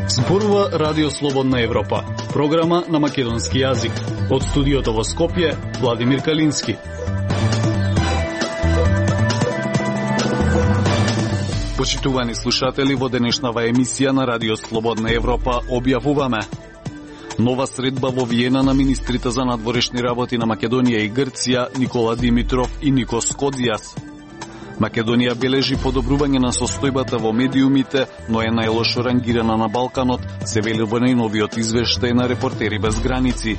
Зборува Радио Слободна Европа, програма на македонски јазик. Од студиото во Скопје, Владимир Калински. Почитувани слушатели, во денешнава емисија на Радио Слободна Европа објавуваме нова средба во Виена на министрите за надворешни работи на Македонија и Грција Никола Димитров и Никос Кодзијас. Македонија бележи подобрување на состојбата во медиумите, но е најлошо рангирана на Балканот, се вели во најновиот извештај на Репортери без граници.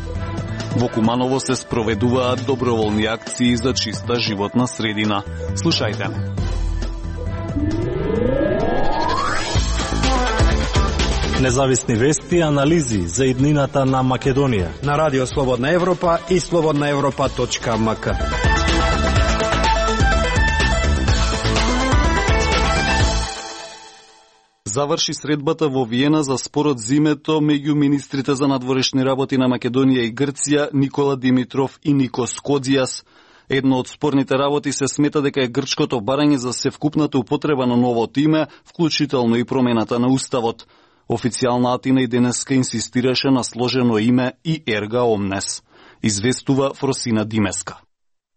Во Куманово се спроведуваат доброволни акции за чиста животна средина. Слушајте. Независни вести и анализи за иднината на Македонија на Радио Слободна Европа и slobodnaevropa.mk. Заврши средбата во Виена за спорот зимето меѓу министрите за надворешни работи на Македонија и Грција Никола Димитров и Никос Кодзијас. Едно од спорните работи се смета дека е грчкото барање за севкупната употреба на новото име, вклучително и промената на уставот. Официјална Атина и денеска инсистираше на сложено име и ерга омнес. Известува Фросина Димеска.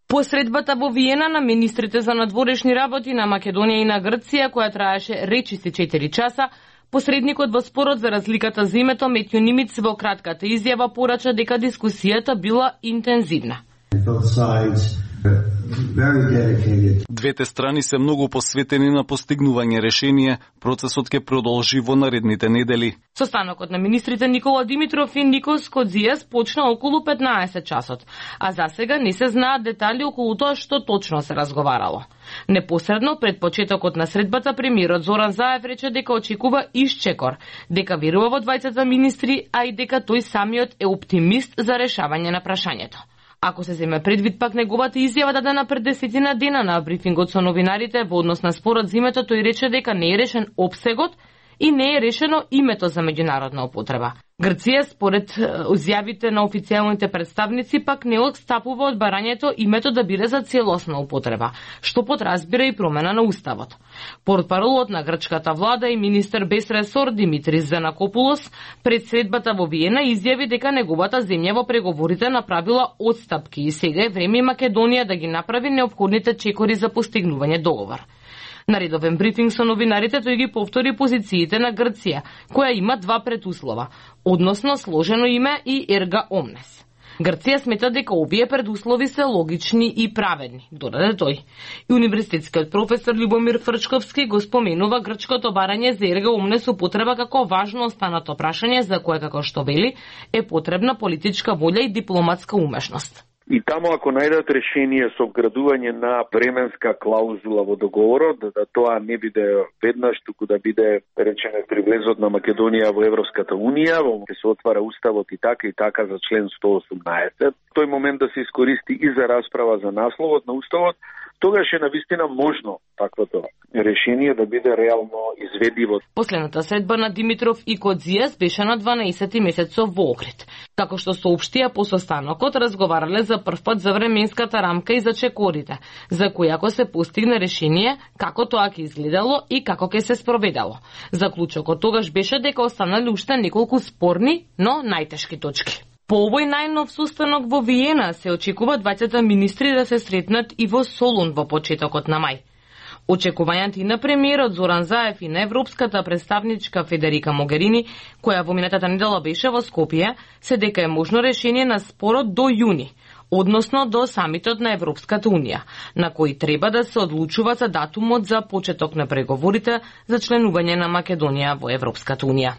По средбата во Виена на министрите за надворешни работи на Македонија и на Грција, која траеше речиси 4 часа, посредникот во спорот за разликата за името Метјо Нимиц во кратката изјава порача дека дискусијата била интензивна. Двете страни се многу посветени на постигнување решение, процесот ќе продолжи во наредните недели. Состанокот на министрите Никола Димитров и Никос Кодзијас почна околу 15 часот, а засега не се знаат детали околу тоа што точно се разговарало. Непосредно пред почетокот на средбата премиерот Зоран Заев рече дека очекува исчекор, дека верува во двајцата министри, а и дека тој самиот е оптимист за решавање на прашањето. Ако се земе предвид пак неговата изјава дадена пред 10 дена на брифингот со новинарите во однос на спорот за името, тој рече дека не е решен опсегот и не е решено името за меѓународна употреба. Грција, според изјавите на официјалните представници, пак не отстапува од барањето името да биде за целосна употреба, што подразбира и промена на уставот. Портпаролот на грчката влада и министер без ресор Димитрис Занакопулос пред средбата во Виена изјави дека неговата земја во преговорите направила отстапки и сега е време Македонија да ги направи неопходните чекори за постигнување договор. На редовен брифинг со новинарите тој ги повтори позициите на Грција, која има два предуслова, односно сложено име и ерга омнес. Грција смета дека овие предуслови се логични и праведни, додаде тој. И универзитетскиот професор Любомир Фрчковски го споменува грчкото барање за ерга омнес употреба како важно останато прашање за кое, како што вели, е потребна политичка волја и дипломатска умешност. И таму ако најдат решение со вградување на временска клаузула во договорот, да тоа не биде веднаш, туку да биде речене при влезот на Македонија во Европската Унија, во ќе се отвара уставот и така за член 118. Тој момент да се искористи и за расправа за насловот на уставот, тогаш е навистина можно таквото решение да биде реално изведиво. Последната средба на Димитров и Кодзијас беше на 12 месецов во Охрид. Како што соопштија по состанокот, разговарале за првпат за временската рамка и за чекорите, за кои ако се постигне решение, како тоа ќе изгледало и како ќе се спроведало. Заклучокот тогаш беше дека останале уште неколку спорни, но најтешки точки. По овој најнов состанок во Виена се очекува двајцата министри да се сретнат и во Солун во почетокот на мај. Очекувањата и на премиерот Зоран Заев и на европската представничка Федерика Могерини, која во минатата недела беше во Скопје, се дека е можно решение на спорот до јуни, односно до самитот на Европската Унија, на кој треба да се одлучува за датумот за почеток на преговорите за членување на Македонија во Европската Унија.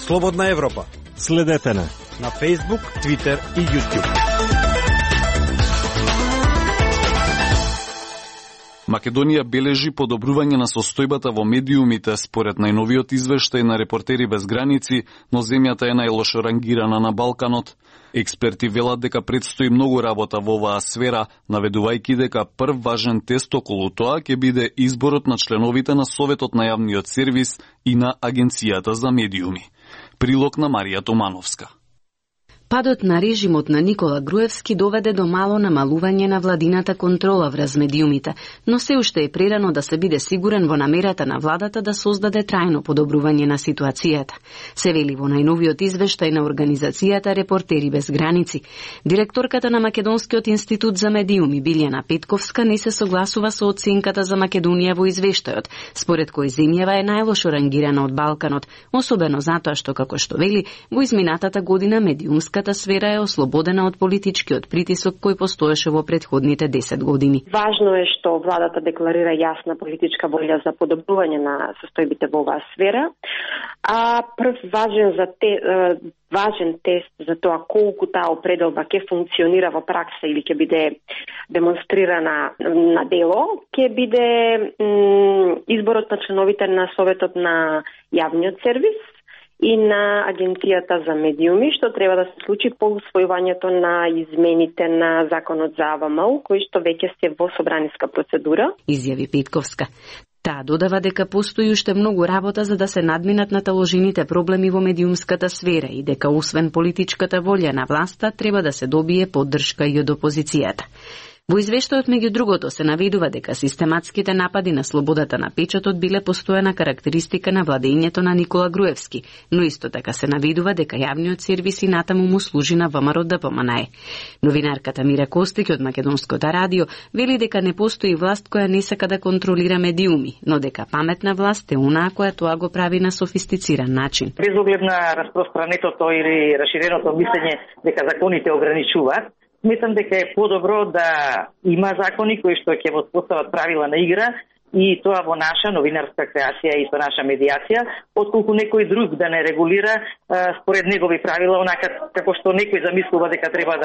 Слободна Европа. Следете на Facebook, Twitter и YouTube. Македонија бележи подобрување на состојбата во медиумите според најновиот извештај на Репортери без граници, но земјата е најлошо рангирана на Балканот. Експерти велат дека предстои многу работа во оваа сфера, наведувајќи дека прв важен тест околу тоа ќе биде изборот на членовите на Советот на јавниот сервис и на Агенцијата за медиуми. Прилог на Марија Томановска. Падот на режимот на Никола Груевски доведе до мало намалување на владината контрола врз медиумите, но се уште е прерано да се биде сигурен во намерата на владата да создаде трајно подобрување на ситуацијата. Се вели во најновиот извештај на организацијата Репортери без граници. Директорката на Македонскиот институт за медиуми Билјана Петковска не се согласува со оценката за Македонија во извештајот, според кој земјава е најлошо рангирана од Балканот, особено затоа што, како што вели, во изминатата година медиумската сфера е ослободена од политичкиот притисок кој постоеше во претходните 10 години. Важно е што владата декларира јасна политичка волја за подобрување на состојбите во оваа сфера, а прв важен тест за тоа колку таа определба ќе функционира во пракса или ќе биде демонстрирана на дело, ќе биде изборот на членовите на Советот на јавниот сервис и на Агенцијата за медиуми, што треба да се случи по усвојувањето на измените на Законот за АВМУ, кои што веќе се во собраниска процедура. Изјави Петковска. Таа додава дека постои уште многу работа за да се надминат наталожените проблеми во медиумската сфера и дека освен политичката волја на власта треба да се добие поддршка и од опозицијата. Во извештајот меѓу другото се наведува дека систематските напади на слободата на печатот биле постојана карактеристика на владењето на Никола Груевски, но исто така се наведува дека јавниот сервис и натаму му служи на ВМРО ДПМНЕ. Новинарката Мира Костик од Македонското радио вели дека не постои власт која не сака да контролира медиуми, но дека паметна власт е онаа која тоа го прави на софистициран начин. Без оглед на распространетото или расширеното мислење дека законите ограничуваат, мислам дека е подобро да има закони кои што ќе воспостават правила на игра и тоа во наша новинарска креација и со наша медиација, отколку некој друг да не регулира според негови правила, онака како што некој замислува дека треба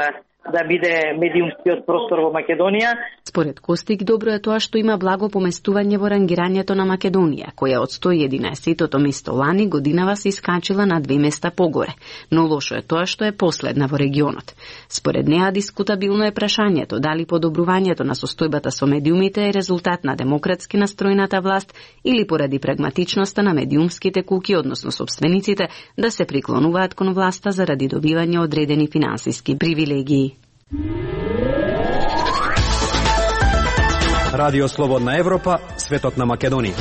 да биде медиумскиот простор во Македонија. Според Костик, добро е тоа што има благо поместување во рангирањето на Македонија, која од 111-тото место лани годинава се искачила на 2 места погоре, но лошо е тоа што е последна во регионот. Според неа дискутабилно е прашањето дали подобрувањето на состојбата со медиумите е резултат на демократски настроената власт или поради прагматичноста на медиумските куки, односно собствениците, да се приклонуваат кон власта заради добивање одредени финансиски привилегии. Радио Слободна Европа, светот на Македонија.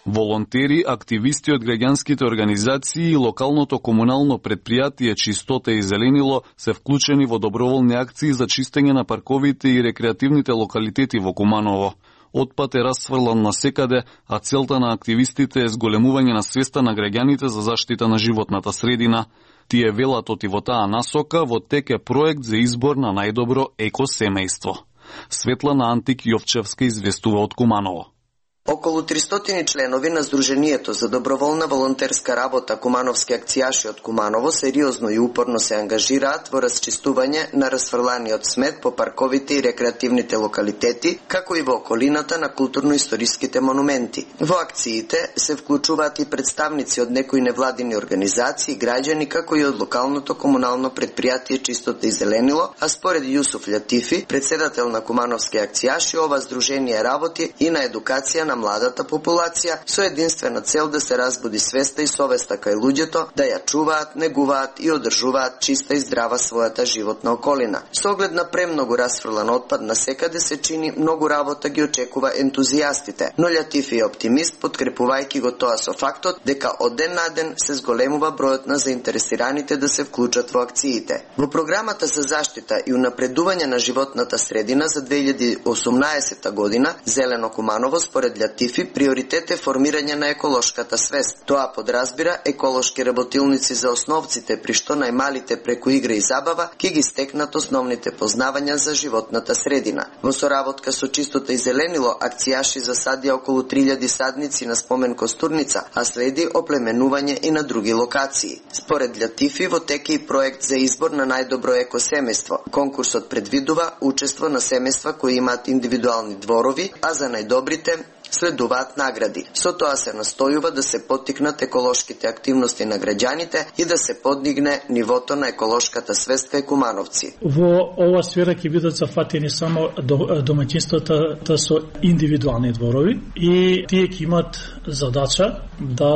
Волонтери, активисти од граѓанските организации и локалното комунално предпријатие Чистота и зеленило се вклучени во доброволни акции за чистење на парковите и рекреативните локалитети во Куманово. Отпад е расфрлан насекаде, а целта на активистите е зголемување на свеста на граѓаните за заштита на животната средина. Тие велат оти во таа насока во тек е проект за избор на најдобро екосемејство. Светлана Антик Јовчевска известува од Куманово. Околу 300 членови на Сдруженијето за доброволна волонтерска работа Кумановски акцијаши од Куманово сериозно и упорно се ангажираат во расчистување на расфрланиот смет по парковите и рекреативните локалитети, како и во околината на културно-историските монументи. Во акциите се вклучуваат и представници од некои невладини организации, граѓани, како и од локалното комунално предпријатие Чистота и зеленило, а според Јусуф Лјатифи, председател на Кумановски акцијаши, ова здружение работи и на едукација на младата популација со единствена цел да се разбуди свеста и совеста кај луѓето да ја чуваат, негуваат и одржуваат чиста и здрава својата животна околина. Со оглед на премногу расфрлан отпад насекаде се чини многу работа ги очекува ентузијастите, но Лјатифи е оптимист подкрепувајќи го тоа со фактот дека од ден на ден се зголемува бројот на заинтересираните да се вклучат во акциите. Во програмата за заштита и унапредување на животната средина за 2018 година Зелено Куманово според Лјатифи, приоритет е формирање на еколошката свест. Тоа подразбира еколошки работилници за основците, при што најмалите преку игра и забава ќе ги стекнат основните познавања за животната средина. Во соработка со Чистота и зеленило, акцијаши засадија околу 3000 садници на спомен Костурница, а следи оплеменување и на други локации. Според Лјатифи, во тек е и проект за избор на најдобро екосемејство. Конкурсот предвидува учество на семејства кои имаат индивидуални дворови, а за најдобрите следуваат награди. Со тоа се настојува да се поттикнат еколошките активности на граѓаните и да се подигне нивото на еколошката свест кај кумановци. Во ова сфера ќе бидат зафатени само домаќинствата со индивидуални дворови и тие ќе имат задача да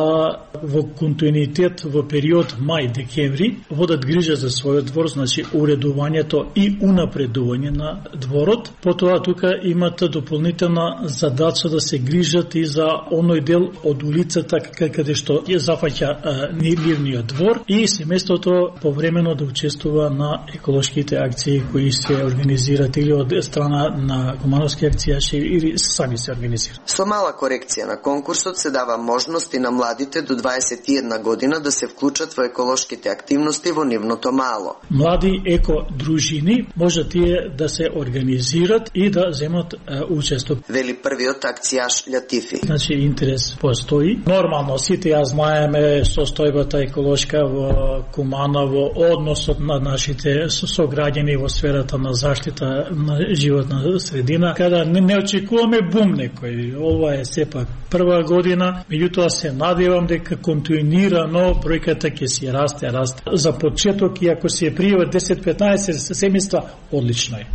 во континуитет во период мај-декември водат грижа за својот двор, значи уредувањето и унапредување на дворот. Потоа тука имат дополнителна задача да се грижат и за оној дел од улицата каде што ја зафаќа нивниот двор и семејството повремено да учествува на еколошките акции кои се организираат или од страна на кумановски акцијаши или сами се организираат. Со мала корекција на конкурсот се дава можност и на младите до 21 година да се вклучат во еколошките активности во нивното мало. Млади екодружини може тие да се организират и да земат учество. Вели првиот акцијаш Латифи. Значи интерес постои. Нормално сите ја знаеме состојбата еколошка во Куманово, односот на нашите сограѓани во сферата на заштита на животна средина, када не очекуваме бум некој. Ова е сепак прва година, меѓутоа се надевам дека континуирано бројката ќе си расте. За почеток и ако се пријават 10-15 семејства, одлично е.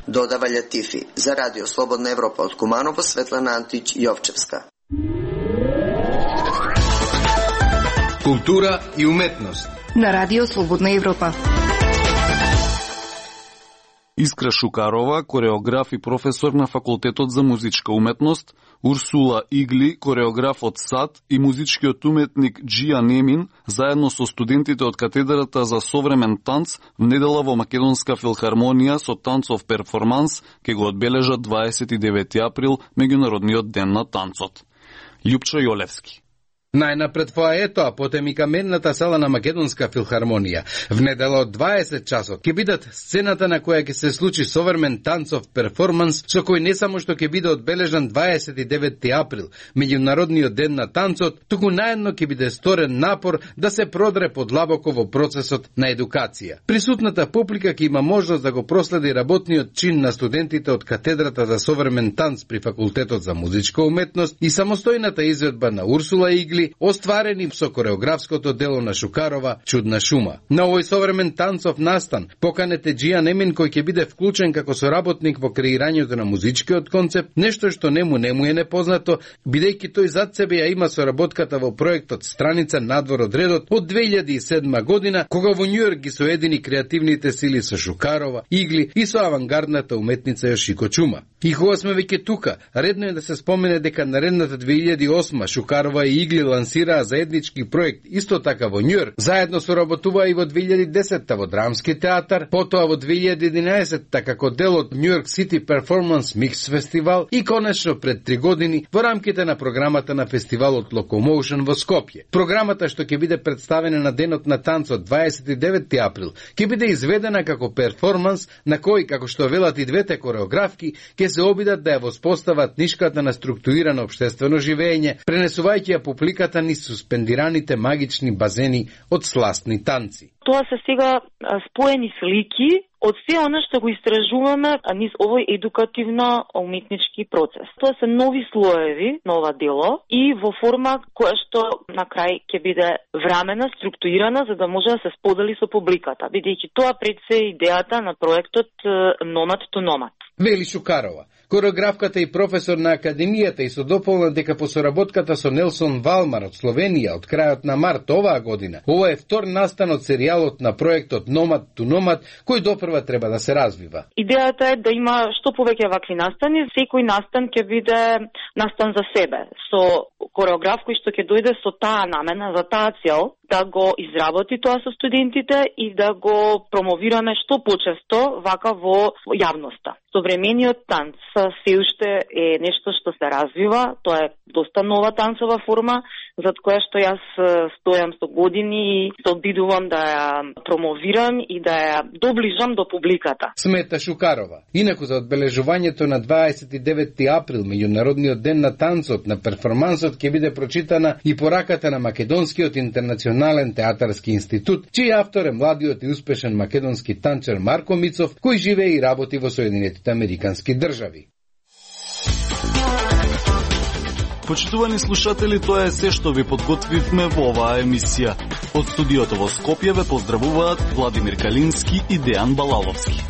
Додава Латифи. За Радио Слободна Европа од Куманово, Светлана Антич Јовчевска. Култура и уметност на Радио Слободна Европа. Искра Шукарова, кореограф и професор на Факултетот за музичка уметност, Урсула Игли, кореограф од САД и музичкиот уметник Джија Немин, заедно со студентите од катедрата за современ танц, внедела во Македонска филхармонија со танцов перформанс, ке го одбележат 29 април, Меѓународниот ден на танцот. Љупчо Јолевски. Најнапред фоаето, а потем и каменната сала на Македонска филхармонија. В недела од 20 часот ќе бидат сцената на која ќе се случи современ танцов перформанс, со кој не само што ќе биде одбележан 29 април, Меѓународниот ден на танцот, туку наедно ќе биде сторен напор да се продре подлабоко во процесот на едукација. Присутната публика ќе има можност да го проследи работниот чин на студентите од катедрата за современ танц при Факултетот за музичка уметност и самостојната изведба на Урсула Игли, остварени со кореографското дело на Шукарова Чудна шума. На овој современ танцов настан поканете Джија Немин, кој ќе биде вклучен како соработник во креирањето на музичкиот концепт, нешто што нему е непознато, бидејќи тој зад себе ја има соработката во проектот Страница надвор од редот од 2007 година, кога во Њујорк ги соедини креативните сили со Шукарова, Игли и со авангардната уметница Јошико Чума. И кога сме веќе тука, редно е да се спомене дека наредната 2008 Шукарова и Игли лансираа заеднички проект исто така во Њујорк, заедно соработуваа и во 2010 во Драмски театар, потоа во 2011 како дел од Њујорк Сити Перформанс Микс фестивал и конечно пред 3 години во рамките на програмата на фестивалот Locomotion во Скопје. Програмата што ќе биде представена на денот на танцот 29 април ќе биде изведена како перформанс на кој, како што велат и двете кореографки, ќе се обидат да ја воспостават нишката на структурирано општествено живење, пренесувајќи ја публиката низ суспендираните магични базени од сластни танци. Тоа се сега споени слики од се она што го истражуваме низ овој едукативно-уметнички процес. Тоа се нови слоеви на ова дело и во форма која што на крај ќе биде времена, структурирана за да може да се сподели со публиката, бидејќи тоа пред се идејата на проектот Nomad to Nomad. Вели Шукарова, кореографката и професор на Академијата, и со дополна дека по соработката со Нелсон Валмар од Словенија од крајот на март оваа година, ова е втор настан од серијалот на проектот Nomad to Nomad, кој допрва треба да се развива. Идејата е да има што повеќе вакви настани, секој настан ќе биде настан за себе, со кореограф кој што ќе дојде со таа намена, за таа цел, да го изработи тоа со студентите и да го промовираме што почесто вака во јавноста. Современиот танц се уште е нешто што се развива, тоа е доста нова танцова форма, зад која што јас стојам со години и се обидувам да ја промовирам и да ја доближам до публиката. Смета Шукарова. Инаку за одбележувањето на 29 април, Меѓународниот ден на танцот, на перформансот ќе биде прочитана и пораката на Македонскиот интернационален театарски институт, чиј автор е младиот и успешен македонски танчер Марко Мицов, кој живее и работи во Соединетите Американски држави. Почитувани слушатели, тоа е се што ви подготвивме во оваа емисија. Од студиото во Скопје ве поздравуваат Владимир Калински и Дејан Балаловски.